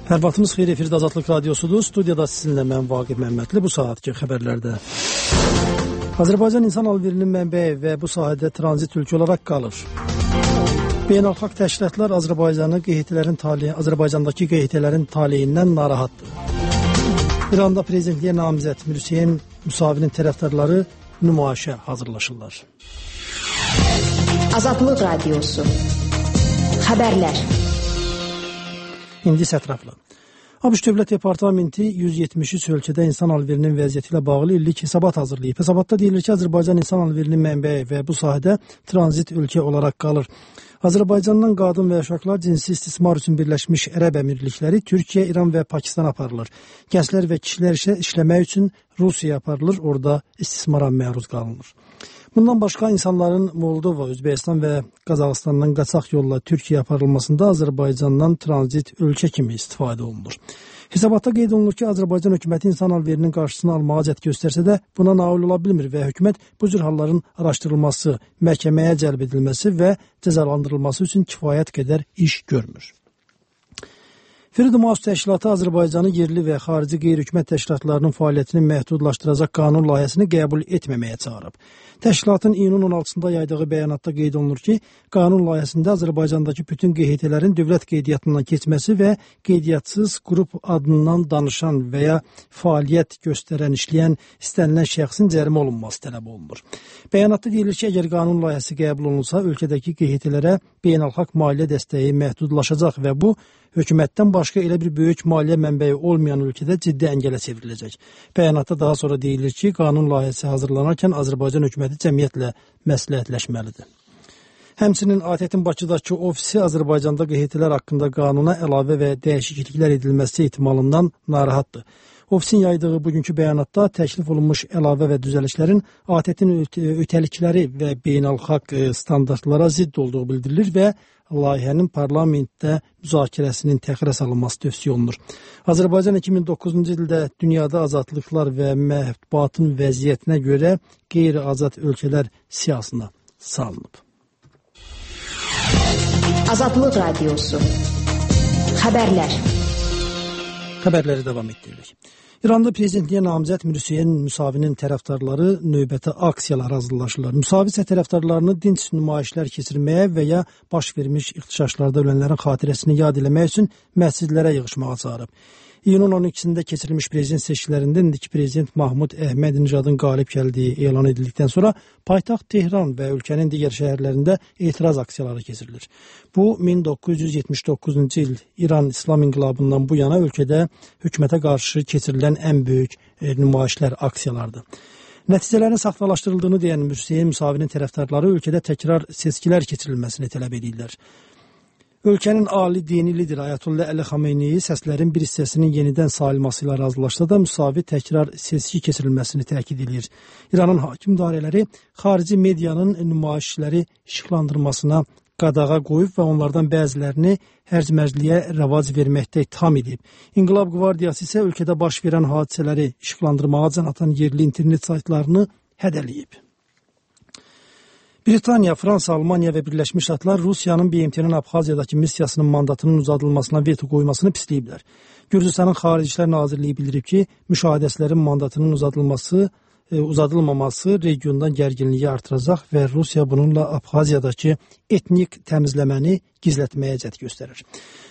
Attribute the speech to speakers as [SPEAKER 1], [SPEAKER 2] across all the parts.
[SPEAKER 1] Hər vaxtınız xeyir, efirdə Azadlıq Radiosudur. Studiyada sizinlə mən Vaqif Məmmədli. Bu saatki xəbərlərdə Azərbaycan insan alverinin mənbəyi və bu sahədə tranzit ölkə olaraq qalır. Beynəlxalq təşkilatlar Azərbaycandakı QHT-lərin taleyindən narahatdır. İranda prezidentliyə namizəd Hüseyn Müsavinin tərəfdarları nümayişə hazırlaşırlar.
[SPEAKER 2] Azadlıq Radiosu Xəbərlər.
[SPEAKER 1] İndi sətrafla. ABŞ Dövlət Departamenti 173 ölkədə insan alverinin vəziyyəti ilə bağlı illik hesabat hazırlayıb. Hesabatda deyilir ki, Azərbaycan insan alverinin mənbəyi və bu sahədə tranzit ölkə olaraq qalır. Azərbaycandan qadın və uşaqlar cinsi istismar üçün Birləşmiş Ərəb Əmirlikləri, Türkiyə, İran və Pakistan aparılır. Gənclər və kişilər isə işləmək üçün Rusiyaya aparılır, orada istismara məruz qalınır. Bundan başqa insanların Moldova, Özbəkistan və Qazaxıstandan qaçaq yolla Türkiyəyə aparılmasında Azərbaycandan tranzit ölkə kimi istifadə olunur. Hesabatda qeyd olunur ki, Azərbaycan hökuməti insan alverinin qarşısını almağa cəhd göstərsə də buna nail ola bilmir və hökumət bu cür halların araşdırılması, məhkəməyə cəlb edilməsi və cəzalandırılması üçün kifayət qədər iş görmür. Freedom House təşkilatı Azərbaycanı yerli və xarici qeyri-hökumət təşkilatlarının fəaliyyətini məhdudlaşdıracaq qanun layihəsini qəbul etməməyə çağırıb. Təşkilatın iyunun 16-sında yaydığı bəyanatda qeyd olunur ki, qanun layihəsində Azərbaycandakı bütün QHT-lərin dövlət qeydiyyatından keçməsi və qeydiyyatçısız qrup adından danışan və ya fəaliyyət göstərən, işləyən istənilən şəxsin cərimə olunması tələb olunur. Bəyanatda deyilir ki, əgər qanun layihəsi qəbul olunsa, ölkədəki QHT-lərə beynəlxalq maliyyə dəstəyi məhdudlaşacaq və bu, hökumətdən başqa elə bir böyük maliyyə mənbəyi olmayan ölkədə ciddi əngələ çevriləcək. Bəyanatda daha sonra deyilir ki, qanun layihəsi hazırlanarkən Azərbaycan hökuməti cəmiyyətlə məsləhətləşməlidir. Həmçinin ATƏT-in Bakıdakı ofisi Azərbaycanda QHT-lər haqqında qanuna əlavə və dəyişikliklər edilməsi ehtimalından narahatdır. Ofisin yaydığı bugünkü bəyanatda təklif olunmuş əlavə və düzəlişlərin ATƏT-in ötəlikləri və beynəlxalq standartlara zidd olduğu bildirilir və layihənin parlamentdə müzakirəsinin təxirə salınması tövsiyə olunur. Azərbaycan 2009-cu ildə dünyada azadlıqlar və mətbuatın vəziyyətinə görə qeyri-azad ölkələr siyahısına salınıb.
[SPEAKER 2] Azadlıq Radiosu Xəbərlər.
[SPEAKER 1] Xəbərləri davam etdiririk. İranda prezidentliyə namizəd Hüseyn Müsavinin tərəfdarları növbəti aksiyalar hazırlaşırlar. Müsavi isə tərəfdarlarını dinc nümayişlər keçirməyə və ya baş vermiş ixtişaşlarda ölənlərin xatirəsini yad eləmək üçün məscidlərə yığışmağa çağırıb. İyunun 12-sində keçirilmiş prezident seçkilərində indiki prezident Mahmud Əhmədinəcadın qalib gəldiyi elan edildikdən sonra paytaxt Tehran və ölkənin digər şəhərlərində etiraz aksiyaları keçirilir. Bu, 1979-cu il İran İslam İnqilabından bu yana ölkədə hökumətə qarşı keçirilən ən böyük nümayişlər, aksiyalardır. Nəticələrin saxtalaşdırıldığını deyən Hüseyn Müsavinin tərəfdarları ölkədə təkrar seçkilər keçirilməsini tələb edirlər. Ölkənin ali dini lideri Ayətullah Əli Xameyni səslərin bir hissəsinin yenidən sayılması ilə razılaşsa da Müsavi təkrar seçki keçirilməsini təkid edir. İranın hakim dairələri xarici medianın nümayişləri işıqlandırmasına qadağa qoyub və onlardan bəzilərini hərc-mərcliyə rəvac verməkdə ittiham edib. İnqilab Qvardiyası isə ölkədə baş verən hadisələri işıqlandırmağa can atan yerli internet saytlarını hədələyib. Britaniya, Fransa, Almaniya və Birləşmiş Ştatlar Rusiyanın BMT-nin Abxaziyadakı missiyasının mandatının uzadılmasına veto qoymasını pisləyiblər. Gürcüstanın Xarici İşlər Nazirliyi bildirib ki, müşahidəçilərin mandatının uzadılmaması regiondan gərginliyi artıracaq və Rusiya bununla Abxaziyadakı etnik təmizləməni gizlətməyə cəhd göstərir.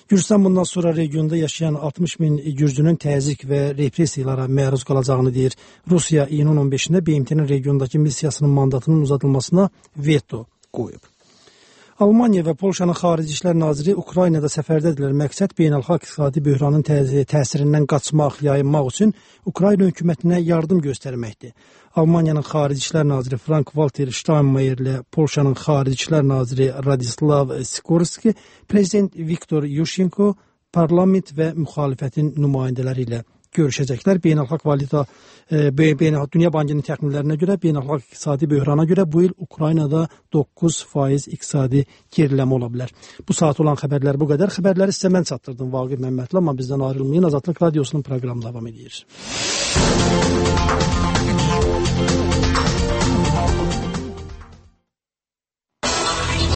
[SPEAKER 1] Gürcüstan bundan sonra regionda yaşayan 60 min gürcünün təzyiq və repressiyalara məruz qalacağını deyir. Rusiya iyunun 15-də BMT-nin regiondakı missiyasının mandatının uzadılmasına veto qoyub. Almaniya və Polşanın Xarici İşlər Naziri Ukraynada səfərdədirlər. Məqsəd beynəlxalq iqtisadi böhranın təsirindən qaçmaq, yayınmaq üçün Ukrayna hökumətinə yardım göstərməkdir. Almaniyanın Xarici İşlər Naziri Frank-Walter Steinmeier ilə Polşanın Xarici İşlər Naziri Radislav Sikorski, Prezident Viktor Yushchenko, parlament və müxalifətin nümayəndələri ilə görüşəcəklər. Dünya Bankının təxminlərinə görə beynəlxalq iqtisadi böhrana görə bu il Ukraynada 9% iqtisadi geriləmə ola bilər. Bu saat olan xəbərlər bu qədər. Xəbərləri sizə mən çatdırdım Vaqif Məmmədli, amma bizdən ayrılmayın. Azadlıq Radiosunun proqramı davam edir.